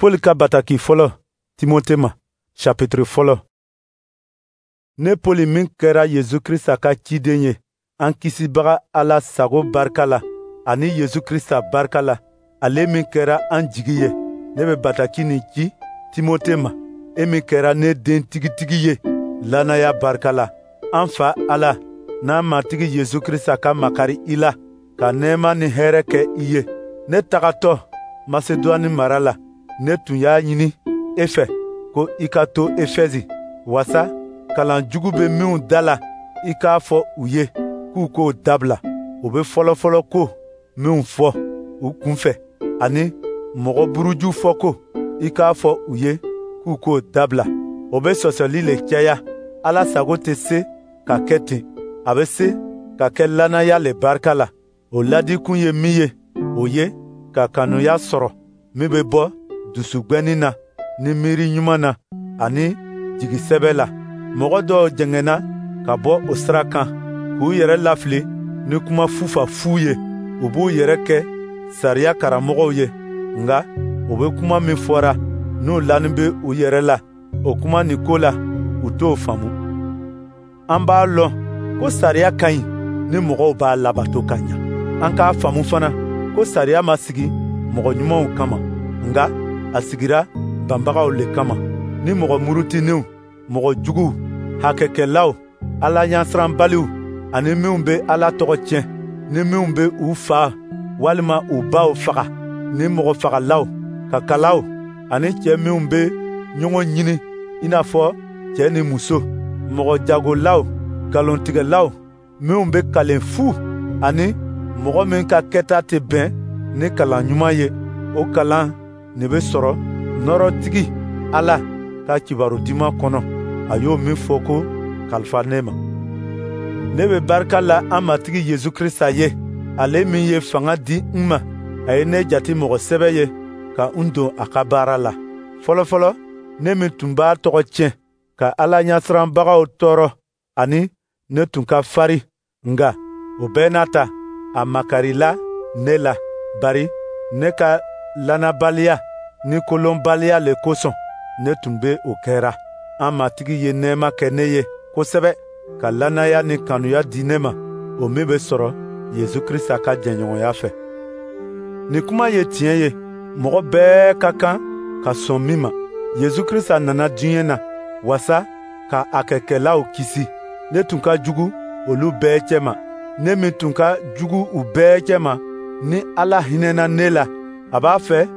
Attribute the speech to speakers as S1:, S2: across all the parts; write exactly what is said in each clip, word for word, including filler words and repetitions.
S1: Pɔli ka bataki fɔlɔ Timote ma, chapitre fɔlɔ. Ne Pɔli min kɛra Yesu Krista ka ciden ye, an Kisibaga Ala sago barika la, ani Yesu Krista barika la, ale min kɛra an jigi ye, ne bɛ bataki nin ci Timote ma, e min kɛra ne den tigitigi ye lannaya barika la. An Fa Ala n'an Matigi Yesu Krista ka makari i la, ka nɛɛma ni hɛrɛ kɛ i ye. Ne tagatɔ Masedwani mara la, ne tun y'a ɲini e fɛ ko i ka to Efɛzi, wasa kalan jugu bɛ minw da la, i k'a fɔ u ye k'u k'o dabila. U bɛ fɔlɔfɔlɔ ko minw fɔ u kunfɛ, ani mɔgɔ buruju fɔ ko, i k'a fɔ u ye k'u k'o dabila. O bɛ sɔsɔli le caya. Ala sago tɛ se ka kɛ ten, a bɛ se ka kɛ lannaya le barika la. O ladikun ye min ye, o ye ka kanuya sɔrɔ min bɛ bɔ dusugwɛnin na ni miiri ɲuman na ani jigisɛbɛ la. Mɔgɔ dɔw jɛngɛnna ka bɔ o sira kan k'u yɛrɛ lafili ni kuma fufafu ye. U b'u yɛrɛ kɛ sariya karamɔgɔw ye, nka u bɛ kuma min fɔra n'u lanin bɛ u yɛrɛ la, o kuma nin ko la, u t'o faamu. An b'a lɔn ko sariya ka ɲi ni mɔgɔw b'a labato ka ɲa. An k'a faamu fana ko sariya ma sigi mɔgɔ ɲumanw kama, nka a sigira banbagaw le kama, ni mɔgɔ murutilenw, mɔgɔ juguw, hakɛkɛlaw, Ala ɲɛsiranbaliw, ani minw bɛ Ala tɔgɔ tiɲɛ, ni minw bɛ u fa walima u baw faga, ni mɔgɔ fagalaw, kakalaw, ani cɛ minw bɛ ɲɔgɔn ɲini i n'a fɔ cɛ ni muso, mɔgɔ jagolaw, nkalontigɛlaw, minw bɛ kalen fu, ani mɔgɔ min ka kɛta tɛ bɛn ni kalan ɲuman ye. O kalan nin bɛ sɔrɔ nɔɔrɔtigi Ala ka kibaru duman kɔnɔ, a y'o min fɔ ko kalifa ne ma. Ne bɛ barika la an Matigi Yesu Krista ye, ale min ye fanga di n ma. A ye ne jate mɔgɔ sɛbɛ ye ka n don a ka baara la. Fɔlɔfɔlɔ, ne min tun b'a tɔgɔ tiɲɛ, ka Ala ɲɛsiranbagaw tɔɔrɔ, ani ne tun ka fari, nka o bɛɛ n'a ta, a makarila ne la, bari ne ka lannabaliya ni kolonbaliya le kosɔn ne tun bɛ o kɛra. An Matigi ye nɛɛma kɛ ne ye kosɛbɛ, ka lannaya ni kanuya di ne ma, o min bɛ sɔrɔ Yesu Krista ka jɛɲɔgɔnya fɛ. Nin kuma ye tiɲɛ ye, mɔgɔ bɛɛ ka kan ka sɔn min ma. Yesu Krista nana diɲɛ na wasa ka a kɛkɛlaw kisi. Ne tun ka jugu olu bɛɛ cɛma. Ne min tun ka jugu u bɛɛ cɛma, ni Ala hinɛna ne la, a b'a fɛ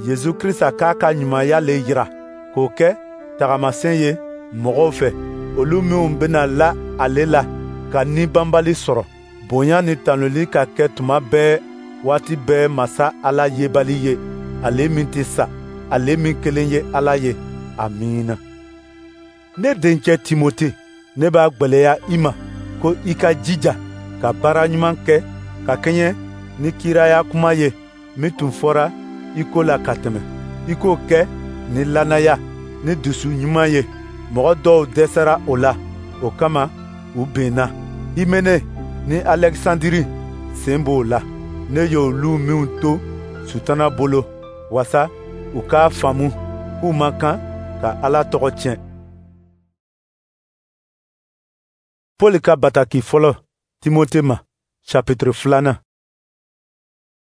S1: Yesu Krista k'a ka ɲumanya le yira, k'o kɛ tagamasɛn ye mɔgɔw fɛ, olu minw bɛna la ale la ka ni banbali sɔrɔ. Bonya ni tanuli ka kɛ tuma bɛɛ, waati bɛɛ Masa Ala yebali ye, ale min tɛ sa, ale min kelen ye Ala ye. Amiina. Ne dencɛ Timote, ne b'a gwɛlɛya i ma ko i ka jija ka baara ɲuman kɛ ka kɛɲɛ ni kiraya kuma ye min tun fɔra i ko la ka tɛmɛ. I k'o kɛ ni lannaya ni dusu ɲuman ye. Mɔgɔ dɔw dɛsɛra o la, o kama u benna. Himene ni Alɛkisandiri sen b'o la. Ne y'olu minw to Sutana bolo, wasa u k'a faamu k'u man kan ka Ala tɔgɔ tiɲɛ. Pɔli ka bataki fɔlɔ Timote ma, chapitre filanan.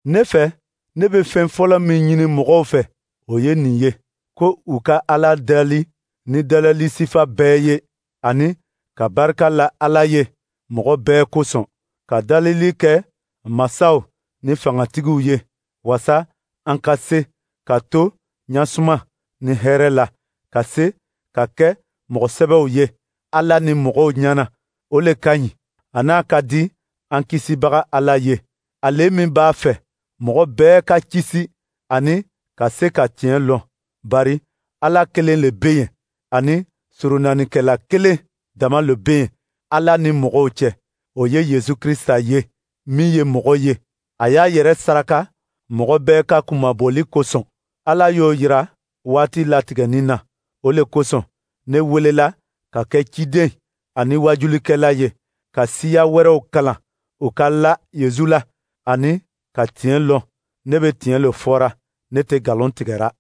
S1: Ne fɛ, ne bɛ fɛn fɔlɔ min ɲini mɔgɔw fɛ, o ye nin ye, ko u ka Ala dali ni dalali sifa bɛɛ ye, ani ka barika la Ala ye mɔgɔ bɛɛ kosɔn, ka dalili kɛ masaw ni fangatigiw ye, wasa an ka se ka to ɲasuma ni hɛrɛ la, ka se ka kɛ mɔgɔ sɛbɛw ye Ala ni mɔgɔw ɲɛna. O le ka ɲi, a n'a ka di an Kisibaga Ala ye, ale min b'a fɛ mɔgɔ bɛɛ ka kisi ani ka se ka tiɲɛ lɔn. Bari Ala kelen le bɛ yen, ani soronannikɛla kelen dama le bɛ yen Ala ni mɔgɔw cɛ, o ye Yesu Krista ye, min ye mɔgɔ ye. A y'a yɛrɛ saraka mɔgɔ bɛɛ ka kunmabɔli kosɔn. Ala y'o yira waati latigɛnin na. O le kosɔn ne welela ka kɛ ciden ani waajulikɛla ye, ka siya wɛrɛw kalan u ka la Yesu la ani ka tiɲɛ lɔn. Ne bɛ tiɲɛ le fɔra, ne tɛ nkalon tigɛra.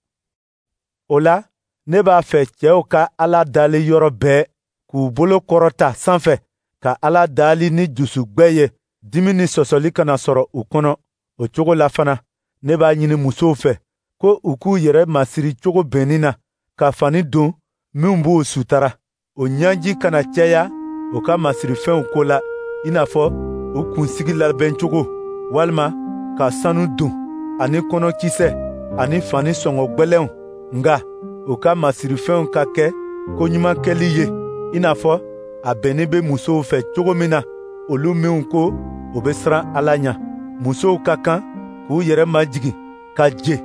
S1: O la, ne b'a fɛ cɛw ka Ala dali yɔrɔ bɛɛ, k'u bolo kɔrɔta sanfɛ ka Ala dali ni dusugwɛ ye, dimi ni sɔsɔli kana sɔrɔ u kɔnɔ. O cogo la fana, ne b'a ɲini musow fɛ ko u k'u yɛrɛ masiri cogo bɛnnin na, ka fani don minnu b'u sutara. O ɲɛji kana caya u ka masirifɛnw ko la, i n'a fɔ u kunsigi labɛncogo, walima ka sanu don, ani kɔnɔkisɛ, ani fani sɔngɔ gwɛlɛnw. Nka u ka masirifɛnw ka kɛ koɲuman kɛli ye, i n'a fɔ a bɛnnin bɛ musow fɛ cogo min na, olu minw ko u bɛ siran Ala ɲɛ. Musow ka kan k'u yɛrɛ majigin, ka je,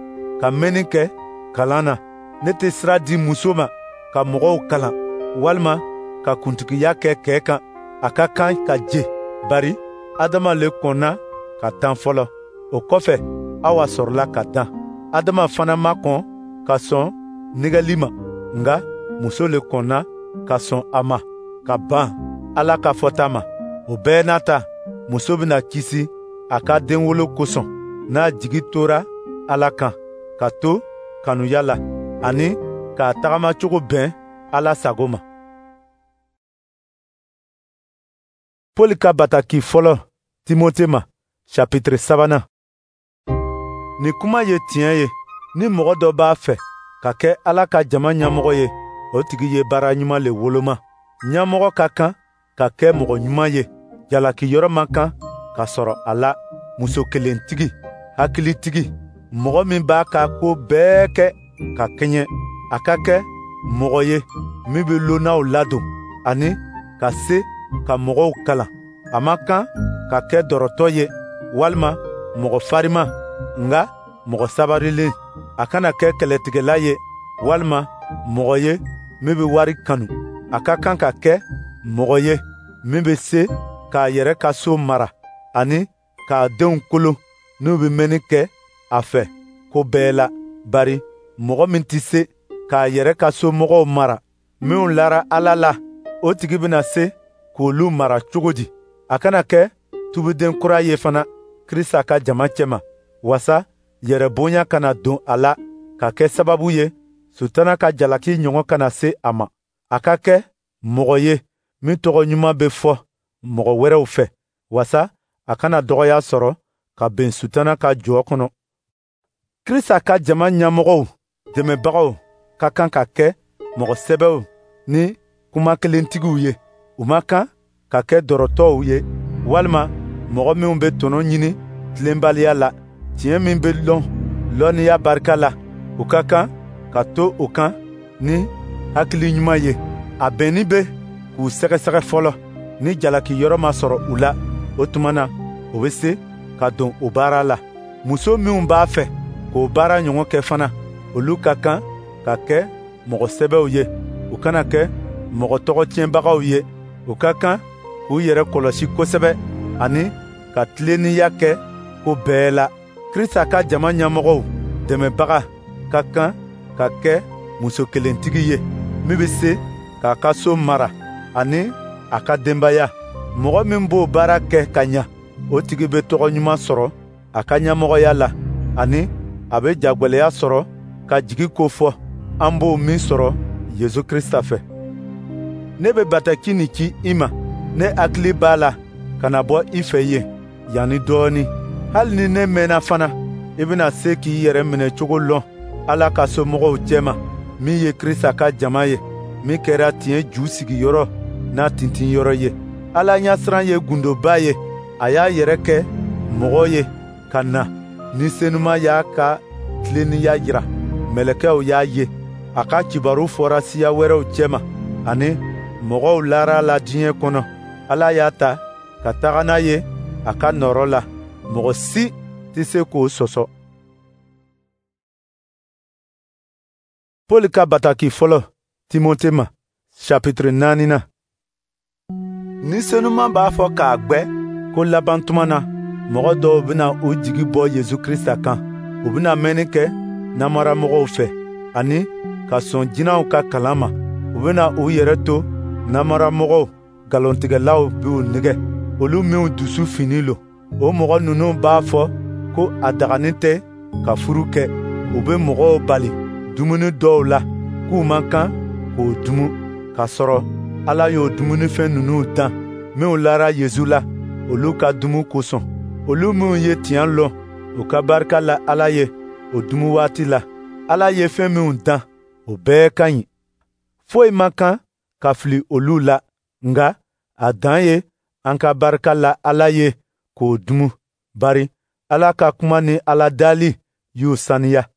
S1: ka mɛnni kɛ kalan na. Ne tɛ sira di muso ma ka mɔgɔw kalan, walima ka kuntigiya kɛ kɛ kan. A ka kan ka je, bari Adama le kɔnna ka tan fɔlɔ. O kɔfɛ, Awa sɔrɔla ka dan. Adama fana ma kɔn ka sɔn nɛgɛli ma, nka muso le kɔnna ka sɔn a ma, ka ban Ala ka fɔta ma. O bɛɛ n'a ta, muso bɛna kisi a ka denwolo kosɔn, n'a jigi tora Ala kan, ka to kanuya la, ani k'a tagamacogo bɛn Ala sago ma. Pɔli ka bataki fɔlɔ Timote ma, chapitre sabanan. Nin kuma ye tiɲɛ ye: ni mɔgɔ dɔ b'a fɛ ka kɛ Ala ka jama ɲɛmɔgɔ ye, o tigi ye baara ɲuman le woloma. Ɲɛmɔgɔ ka kan ka kɛ mɔgɔ ɲuman ye, jalakiyɔrɔ man kan ka sɔrɔ a la, muso kelentigi, hakilitigi, mɔgɔ min b'a ka ko bɛɛ kɛ ka kɛɲɛ. A ka kɛ mɔgɔ ye min bɛ lonnaw ladon, ani ka se ka mɔgɔw kalan. A man kan ka kɛ dɔrɔtɔ ye, walima mɔgɔ farima, nka mɔgɔ sabarilen. A kana kɛ kɛlɛtigɛla ye, walima mɔgɔ ye min bɛ wari kanu. A ka kan ka kɛ mɔgɔ ye min bɛ se k'a yɛrɛ ka so mara, ani k'a denw kolo n'u bɛ mɛnni kɛ a fɛ ko bɛɛ la. Bari mɔgɔ min tɛ se k'a yɛrɛ ka somɔgɔw mara, minw lara Ala la, o tigi bɛna se k'olu mara cogo di? A kana kɛ tubiden kura ye fana Krista ka jama cɛma, wasa yɛrɛbonya kana don a la, ka kɛ sababu ye Sutana ka jalaki ɲɔgɔn kana se a ma. A ka kɛ mɔgɔ ye min tɔgɔ ɲuman bɛ fɔ mɔgɔ wɛrɛw fɛ, wasa a kana dɔgɔya sɔrɔ ka bɛn Sutana ka jɔ kɔnɔ. Krista ka jama ɲɛmɔgɔw dɛmɛbagaw ka kan ka kɛ mɔgɔ sɛbɛw ni kuma kelentigiw ye. U man kan ka kɛ dɔrɔtɔw ye, walima mɔgɔ minw bɛ tɔnɔ ɲini tilenbaliya la. Tiɲɛ min bɛ lɔn lɔnniya barika la, u ka kan ka to o kan ni hakili ɲuman ye. A bɛnni bɛ k'u sɛgɛsɛgɛ fɔlɔ, ni jalakiyɔrɔ ma sɔrɔ u la, o tuma na u bɛ se ka don o baara la. Muso minw b'a fɛ k'o baara ɲɔgɔn kɛ fana, olu ka kan ka kɛ mɔgɔ sɛbɛw ye, u kana kɛ mɔgɔ tɔgɔ tiɲɛbagaw ye. U ka kan k'u yɛrɛ kɔlɔsi kosɛbɛ, ani ka tilennenya kɛ ko bɛɛ la. Krista ka jama ɲɛmɔgɔw dɛmɛbaga ka kan ka kɛ muso kelentigi ye, min bɛ se k'a ka so mara ani a ka denbaya. Mɔgɔ min b'o baara kɛ ka ɲa, o tigi bɛ tɔgɔ ɲuman sɔrɔ a ka ɲɛmɔgɔya la, ani a bɛ jagwɛlɛya sɔrɔ ka jigi ko fɔ, an b'o min sɔrɔ Yesu Krista fɛ. Ne bɛ bataki nin ci i ma, ne hakili b'a la ka na bɔ i fɛ yen yanni dɔɔnin. Hali ni ne mɛnna fana, i bɛna se k'i yɛrɛ minɛ cogo lɔn Ala ka somɔgɔw cɛma, min ye Krista ka jama ye, min kɛra tiɲɛ ju sigiyɔrɔ n'a tintinyɔrɔ ye. Ala ɲɛsiran ye gundoba ye, a y'a yɛrɛ kɛ mɔgɔ ye ka na ni senuma y'a ka tilennenya jira, mɛlɛkɛw y'a ye. A ka kibaru fɔra siya wɛrɛw cɛma, ani mɔgɔw lara la diɲɛ kɔnɔ. Ala y'a ta ka taga n'a ye a ka nɔɔrɔ la, mɔgɔ si tɛ se k'o sɔsɔ. Pɔli ka bataki fɔlɔ Timote ma, chapitre naaninan. Ni senuman b'a fɔ k'a gbɛ ko laban tuma na, mɔgɔ dɔw bɛna u jigi bɔ Yesu Krista kan. U bɛna mɛnni kɛ namaramɔgɔw fɛ, ani ka sɔn jinɛw ka kalan ma. U bɛna u yɛrɛ to namaramɔgɔw nkalontigɛlaw b'u nɛgɛ, olu minw dusu fini lo. O mɔgɔ ninnu b'a fɔ ko a dagani tɛ ka furu kɛ. U bɛ mɔgɔw bali dumuni dɔw la k'u man kan k'o dumu, k'a sɔrɔ Ala y'o dumunifɛn ninnu dan minw lara Yezu la, olu ka dumu kosɔn. Olu minw ye tiɲɛ lɔn, u ka barika la Ala ye o dumu waati la. Ala ye fɛn minw dan, o bɛɛ ka ɲi. Foyi man kan ka fili olu la, nka a dan ye an ka barika la Ala ye k'o dumu, bari Ala ka kuma ni Ala dali y'u saniya.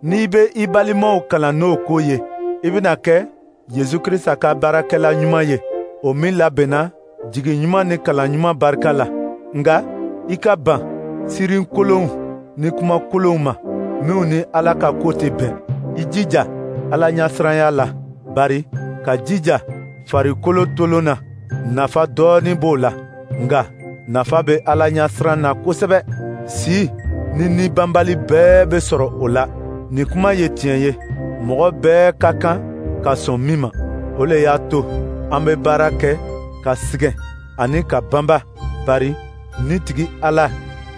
S1: N'i bɛ i balimaw kalan n'o ko ye, i bɛna kɛ Yezu Krisita ka baarakɛla ɲuman ye, o min labɛnna jigi ɲuman ni kalan ɲuman barika la. Nka i ka ban sirin kolonw ni kuma kolonw ma, minw ni Ala ka ko tɛ bɛn. I jija Ala ɲɛsiranya la, bari ka jija farikolo tolon na, nafa dɔɔnin b'o la, nka nafa bɛ Ala ɲɛsiran na kosɛbɛ. Si ni ni banbali bɛɛ bɛ sɔrɔ o la. Nin kuma ye tiɲɛ ye, mɔgɔ bɛɛ ka kan ka sɔn min ma. O le y'a to an bɛ baara kɛ ka sɛgɛn ani ka banba, bari ni tigi Ala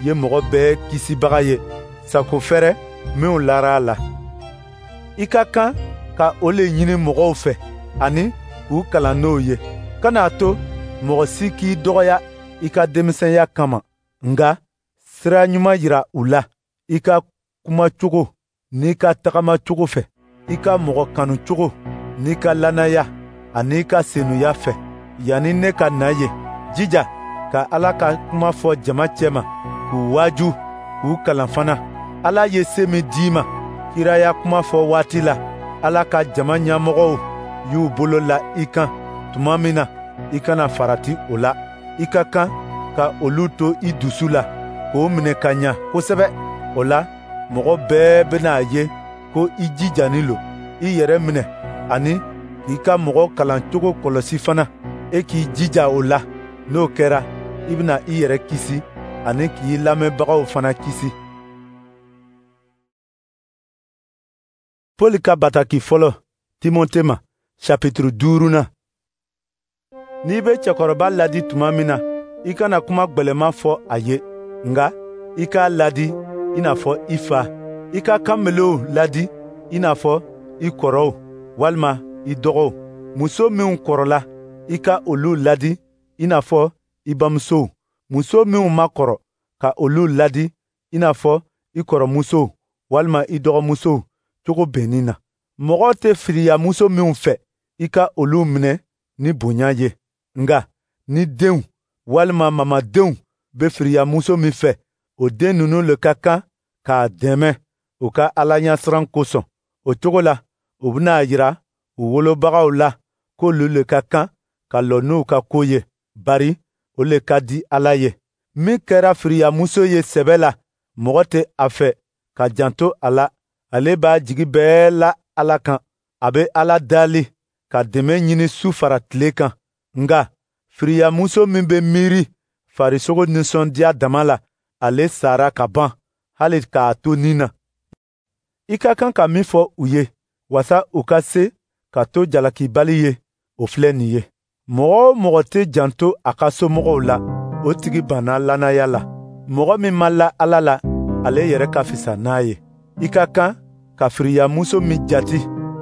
S1: ye mɔgɔ bɛɛ kisibaga ye, sago fɛrɛ minw lara a la. I ka kan ka o le ɲini mɔgɔw fɛ ani k'u kalan n'o ye. Kana a to mɔgɔ si k'i dɔgɔya i ka denmisɛnya kama, nka sira ɲuman yira u la i ka kumacogo n'i ka tagamacogo fɛ, i ka mɔgɔ kanucogo n'i ka lannaya ani i ka senuya fɛ. Yanni ne ka na yen, jija ka Ala ka kuma fɔ jama cɛma, k'u waaju, k'u kalan fana. Ala ye se min d'i ma kiraya kuma fɔ waati la, Ala ka jama ɲɛmɔgɔw y'u bolo la i kan tuma min na, i kana farati o la. I ka kan ka olu to i dusu la, k'o minɛ ka ɲa kosɛbɛ. O la, mɔgɔ bɛɛ bɛna a ye ko i jijanin lo. I yɛrɛ minɛ ani k'i ka mɔgɔ kalancogo kɔlɔsi fana. E k'i jija o la. N'o kɛra, i bɛna i yɛrɛ kisi ani k'i lamɛnbagaw fana kisi. Pɔli ka bataki fɔlɔ Timote ma, chapitre duurunan. N'i bɛ cɛkɔrɔba ladi tuma min na, i kana kuma gwɛlɛman fɔ a ye, nka i k'a ladi i n'a fɔ i fa. I ka kanbelew ladi i n'a fɔ i kɔrɔw walima i dɔgɔw. Muso minw kɔrɔla, i ka olu ladi i n'a fɔ i bamusow. Muso minw ma kɔrɔ, ka olu ladi i n'a fɔ i kɔrɔmusow walima i dɔgɔmusow cogo bɛnnin na. Mɔgɔ tɛ firiya muso minw fɛ, i ka olu minɛ ni bonya ye. Nka ni denw walima mamadenw bɛ firiya muso min fɛ, o den ninnu le ka kan k'a dɛmɛ u ka Ala ɲɛsiran kosɔn. O cogo la, u bɛna a yira u wolobagaw la k'olu le ka kan ka lɔ n'u ka ko ye, bari o le ka di Ala ye. Min kɛra firiyamuso ye sɛbɛ la, mɔgɔ tɛ a fɛ ka janto a la. Ale b'a jigi bɛɛ la Ala kan. A bɛ Ala dali ka dɛmɛ ɲini su fara tile kan. Nka firiyamuso min bɛ miiri farisogo nisɔndiya dama la, ale sara ka ban hali k'a to ni na. I ka kan ka min fɔ u ye, wasa u ka se ka to jalakibali ye, o filɛ nin ye. Mɔgɔ o mɔgɔ tɛ janto a ka somɔgɔw la, o tigi banna lannaya la. Mɔgɔ min ma la Ala la, ale yɛrɛ ka fisa n'a ye. I ka kan ka firiyamuso min jati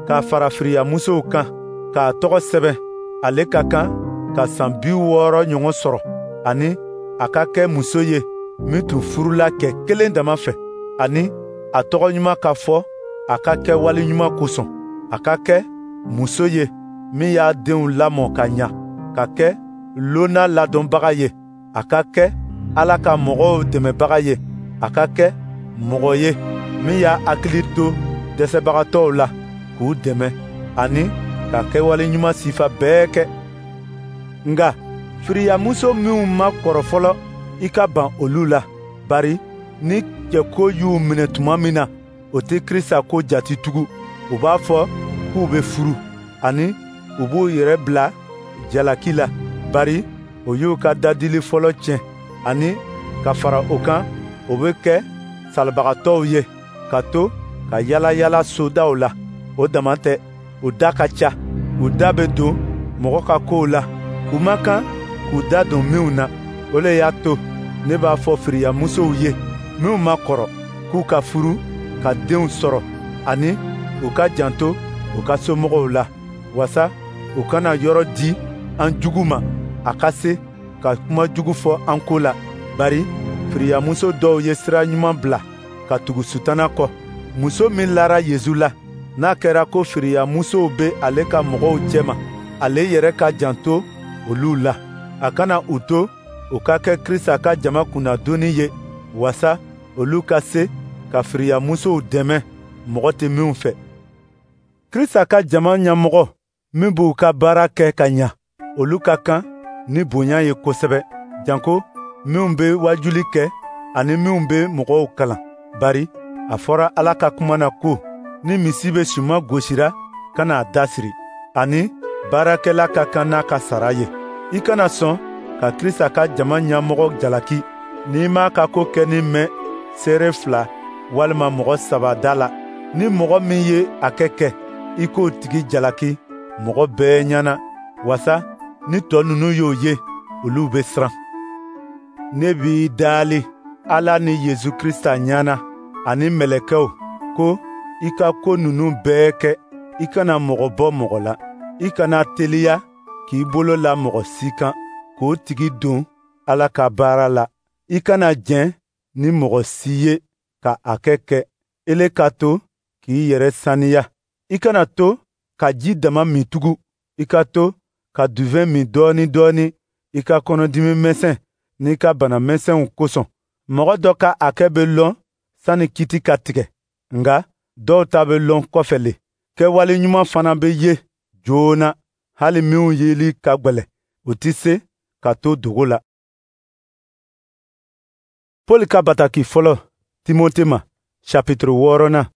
S1: k'a fara firiyamusow kan, k'a tɔgɔ sɛbɛn, ale ka kan ka san bi wɔɔrɔ ɲɔgɔn sɔrɔ, ani a ka kɛ muso ye min tun furula cɛ kelen dama fɛ, ani a tɔgɔ ɲuman ka fɔ a ka kɛwale ɲuman kosɔn. A ka kɛ muso ye min y'a denw lamɔ ka ɲa, ka kɛ lonna ladɔnbaga ye, a ka kɛ Ala ka mɔgɔw dɛmɛbaga ye, a ka kɛ mɔgɔ ye min y'a hakili to dɛsɛbagatɔw la k'u dɛmɛ, ani ka kɛwale ɲuman sifa bɛɛ kɛ. Nka firiyamuso minw ma kɔrɔ fɔlɔ, i ka ban olu la, bari ni cɛko y'u minɛ tuma min na, o tɛ Krisita ko jati tugun. U b'a fɔ k'u bɛ furu, ani u b'u yɛrɛ bila jalaki la, bari o y'u ka dadili fɔlɔ tiɲɛ, ani ka fara o kan, o bɛ kɛ salibagatɔw ye ka to ka yala yala sodaw la. O dama tɛ, u da ka ca, u da bɛ don mɔgɔ ka kow la, u man kan k'u da don minw na. O le y'a to ne b'a fɔ firiyamusow ye minw ma kɔrɔ k'u ka furu ka denw sɔrɔ ani u ka janto u ka somɔgɔw la, wasa u kana yɔrɔ di an jugu ma a ka se ka kuma jugu fɔ an ko la. Bari firiyamuso dɔw ye sira ɲuman bila ka tugu Sutana kɔ. Muso min lara Yesu la, n'a kɛra ko firiyamusow bɛ ale ka mɔgɔw cɛma, ale yɛrɛ ka janto olu la. A kana u to u ka kɛ Krista ka jama kunnadoni ye, wasa olu ka se ka firiyamusow dɛmɛ mɔgɔ tɛ minw fɛ. Krista ka jama ɲɛmɔgɔ min b'u ka baara kɛ ka ɲa, olu ka kan ni bonya ye kosɛbɛ, janko minw bɛ wajuli kɛ ani minw bɛ mɔgɔw kalan. Bari a fɔra Ala ka kuma na ko, ni misi bɛ suman gosira, kana a dasiri, ani baarakɛla ka kan n'a ka sara ye. I kana sɔn ka Krista ka jama ɲɛmɔgɔ jalaki n'i m'a ka ko kɛnin mɛn seere fila walima mɔgɔ saba da la. Ni mɔgɔ min ye a kɛ kɛ, i k'o tigi jalaki mɔgɔ bɛɛ ɲɛna, wasa ni tɔ ninnu y'o ye, olu bɛ siran. Ne b'i daali Ala ni Yesu Krista ɲɛna ani mɛlɛkɛw ko i ka ko ninnu bɛɛ kɛ. I kana mɔgɔ bɔ mɔgɔ la. I kana teliya k'i bolo la mɔgɔ si kan k'o tigi don Ala ka baara la. I kana jɛn ni mɔgɔ si ye ka a kɛ kɛ. Ele ka to k'i yɛrɛ saniya. I kana to ka ji dama min tugun. I ka to ka duvɛn min dɔɔni dɔɔni i ka kɔnɔdimi misɛn n'i ka bana misɛnw kosɔn. Mɔgɔ dɔ ka hakɛ bɛ lɔn sani kiti ka tigɛ, nka dɔw ta bɛ lɔn kɔfɛ le. Kɛwale ɲuman fana bɛ ye joona, hali minw yeli ka gwɛlɛn, u tɛ se ka to dogo la. Pɔli ka bataki fɔlɔ Timote ma, chapitre wɔɔrɔnan.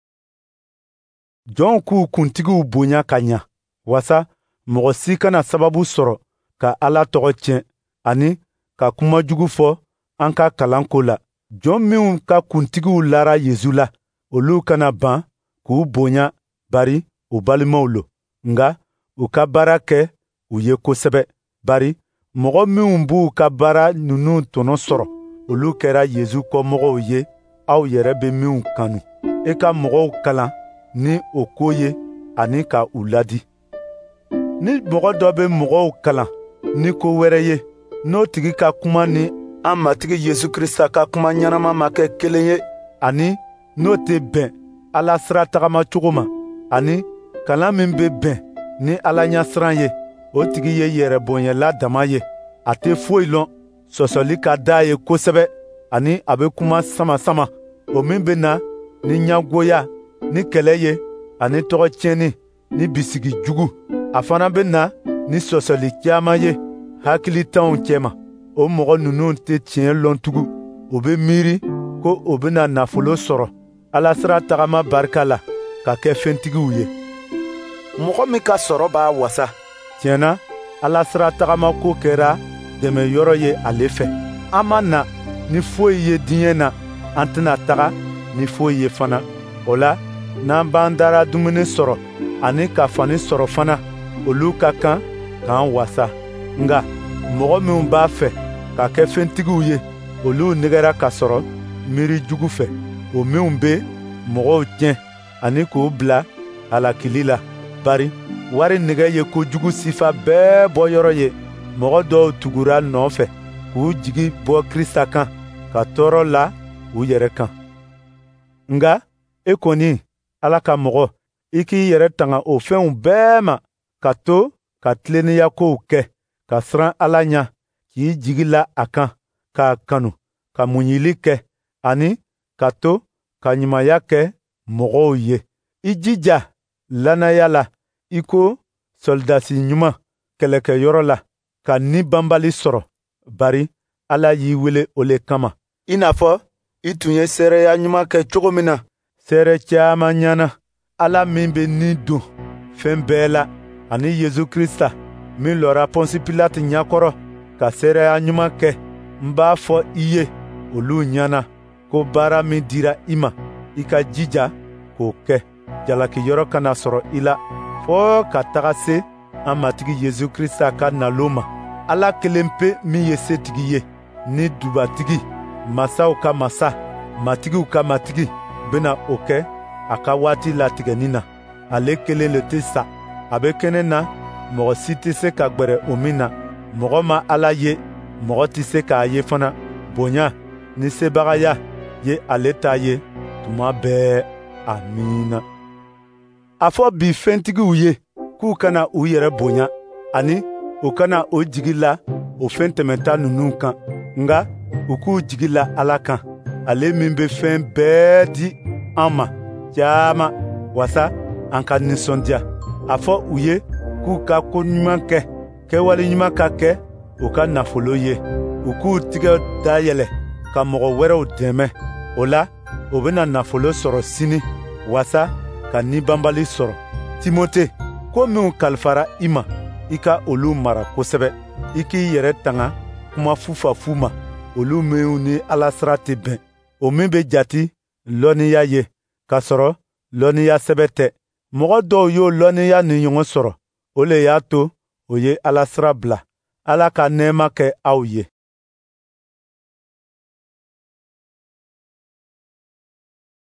S1: Jɔnw k'u kuntigiw bonya ka ɲa, wasa mɔgɔ si kana sababu sɔrɔ ka Ala tɔgɔ tiɲɛ ani ka kuma jugu fɔ an ka kalan ko la. Jɔn minw ka kuntigiw lara Yesu la, olu kana ban k'u bonya, bari u balimaw lo, nka u ka baara kɛ u ye kosɛbɛ. Bari mɔgɔ minw b'u ka baara ninnu tɔnɔ sɔrɔ, olu kɛra Yesu kɔmɔgɔw ye, aw yɛrɛ bɛ minw kanu. E ka mɔgɔw kalan ni o ko ye ani ka u ladi. Ni mɔgɔ dɔ bɛ mɔgɔw kalan ni ko wɛrɛ ye, n'o tigi ka kuma ni an Matigi Yesu Krista ka kuma ɲɛnama ma kɛ kelen ye, ani n'o tɛ bɛn Ala sira tagama cogo ma, ani kalan min bɛ bɛn ni Ala ɲɛsiran ye, o tigi ye yɛrɛbonyɛla dama ye. A tɛ foyi lɔn, sɔsɔli ka d'a ye kosɛbɛ, ani a bɛ kuma sama-sama, o min bɛ na ni ɲɛngoya ni kɛlɛ ye, ani tɔgɔ tiɲɛni ni bisigi jugu. A fana bɛ na ni sɔsɔli caman ye hakilitanw cɛma. O mɔgɔ ninnu tɛ tiɲɛ lɔn tugun. U bɛ miiri ko u bɛna nafolo sɔrɔ Ala sira tagama barika la ka kɛ fɛntigiw ye. Mɔgɔ min ka sɔrɔ b'a wasa, tiɲɛ na, Ala sira tagama ko kɛra dɛmɛyɔrɔ ye ale fɛ. An ma na ni foyi ye diɲɛ na, an tɛna taga ni foyi ye fana. O la, n'an b'an dara dumuni sɔrɔ ani ka fani sɔrɔ fana, olu ka kan k'an wasa. Nka mɔgɔ minw b'a fɛ ka kɛ fɛntigiw ye, olu nɛgɛra ka sɔrɔ miiri jugu fɛ, o minw bɛ mɔgɔw tiɲɛ ani k'u bila halakili la. Bari wari nɛgɛ ye kojugu sifa bɛɛ bɔyɔrɔ ye. Mɔgɔ dɔw tugura nɔfɛ k'u jigi bɔ Krista kan, ka tɔɔrɔ la u yɛrɛ kan. Nka e kɔni, Ala ka mɔgɔ, i k'i yɛrɛ tanga o fɛnw bɛɛ ma, ka to ka tilennenya kow kɛ, ka siran Ala ɲɛ, k'i jigi la a kan, k'a kanu, ka muɲuli kɛ, ani ka to ka ɲumanya kɛ mɔgɔw ye. I jija lannaya la i ko sɔlidasi ɲuman kɛlɛkɛyɔrɔ la, ka ni banbali sɔrɔ, bari Ala y'i wele o le kama, i n'a fɔ i tun ye seereya ɲuman kɛ cogo min na seere caman ɲɛna. Ala min bɛ ni don fɛn bɛɛ la, ani Yesu Krista min lɔra Pɔnsi Pilate ɲɛkɔrɔ ka seereya ɲuman kɛ, n b'a fɔ i ye olu ɲɛna ko baara min dira i ma, i ka jija k'o kɛ. Jalakiyɔrɔ kana sɔrɔ i la fɔɔ ka taga se an Matigi Yesu Krista ka nalon ma. Ala kelen pe min ye setigi ye ni dubatigi, masaw ka masa, matigiw ka matigi, bena o kɛ a ka waati latigɛnin na. Ale kelen le tɛ sa, a bɛ kɛnɛ na, mɔgɔ si tɛ se ka gwɛrɛ o min na. Mɔgɔ ma Ala ye, mɔgɔ tɛ se k'a ye fana. Bonya ni sebagaya ye ale ta ye tuma bɛɛ. Amiina. A fɔ bi fɛntigiw ye k'u kana u yɛrɛ bonya, ani u kana u jigi la o fɛn tɛmɛnta ninnu kan, nka u k'u jigi la Ala kan, ale min bɛ fɛn bɛɛ di an ma caman, waasa an ka nisɔndiya. A fɔ u ye k'u ka ko ɲuman kɛ, kɛwale ɲuman ka kɛ u ka nafolo ye, u k'u tigɛ dayɛlɛ ka mɔgɔ wɛrɛw dɛmɛ. O la, u bɛna nafolo sɔrɔ sini, waasa ka nibɔnbali sɔrɔ. Timote, ko minw kalifara i ma, i ka olu mara kosɛbɛ. I k'i yɛrɛ tanga kuma fufafu ma, olu minw ni Ala sira tɛ bɛn, o min bɛ jati lɔnniya ye, k'a sɔrɔ lɔnniya sɛbɛ tɛ. Mɔgɔ dɔw y'o lɔnniya nin ɲɔgɔn sɔrɔ, o le y'a to o ye Ala sira bila. Ala ka nɛɛma kɛ aw ye.